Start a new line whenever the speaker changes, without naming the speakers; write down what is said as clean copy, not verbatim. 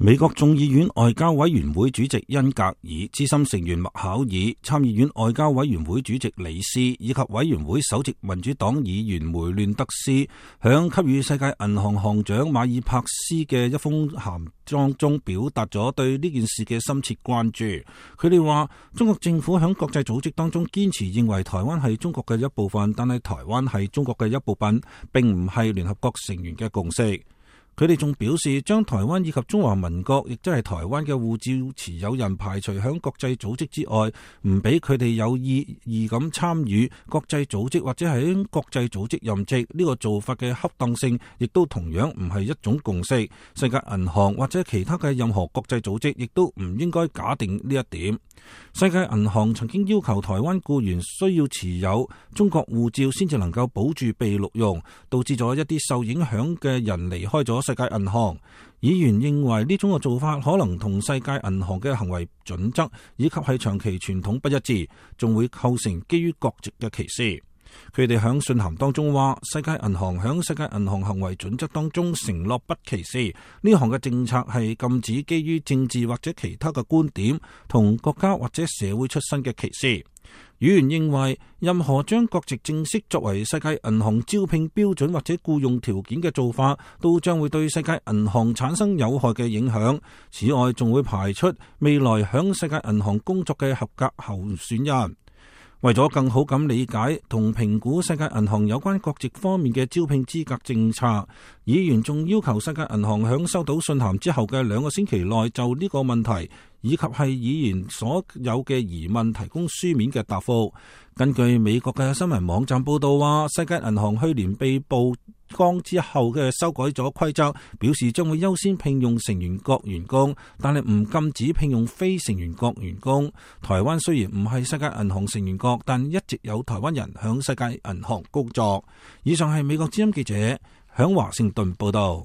美國眾議院外交委員會主席恩格爾、資深成員麥考爾、參議院外交委員會主席里斯以及委員會首席民主黨議員梅亂德斯，響給予世界銀行行長馬爾帕斯嘅一封函當中表達咗對呢件事嘅深切關注。佢哋話，中國政府響國際組織當中堅持認為台灣係中國嘅一部分，但係台灣係中國嘅一部分，並唔係聯合國成員嘅共識。佢哋仲表示，將台灣以及中華民國，亦即係台灣嘅護照持有人排除響國際組織之外，唔俾佢哋有意義咁參與國際組織或者喺國際組織任職，呢個做法嘅恰當性，亦都同樣唔係一種共識。世界銀行或者其他嘅任何國際組織，亦都唔應該假定呢一點。世界銀行曾經要求台灣僱員需要持有中國護照先至能夠保住被錄用，導致咗一啲受影響嘅人離開咗世界銀行。議員認為呢種嘅做法可能同世界銀行嘅行為準則以及係長期傳統不一致，仲會構成基於國籍嘅歧視。佢哋響信函當中話，世界銀行響世界銀行行為準則當中承諾不歧視，呢項嘅政策係禁止基於政治或者其他嘅觀點同國家或者社會出身嘅歧視。議員認為，任何將國籍正式作為世界銀行招聘標準或者僱用條件嘅做法，都將會對世界銀行產生有害嘅影響。此外，仲會排出未來響世界銀行工作嘅合格候選人。為咗更好咁理解同評估世界銀行有關國籍方面嘅招聘資格政策，議員仲要求世界銀行響收到信函之後嘅2個星期內就呢個問題以及係議員所有嘅疑問提供書面嘅答覆。根據美國嘅新聞網站報道話，世界銀行去年被曝光之後嘅修改咗規則，表示將會優先聘用成員國員工，但係唔禁止聘用非成員國員工。台灣雖然唔係世界銀行成員國，但一直有台灣人響世界銀行工作。以上係美國之音記者響華盛頓報道。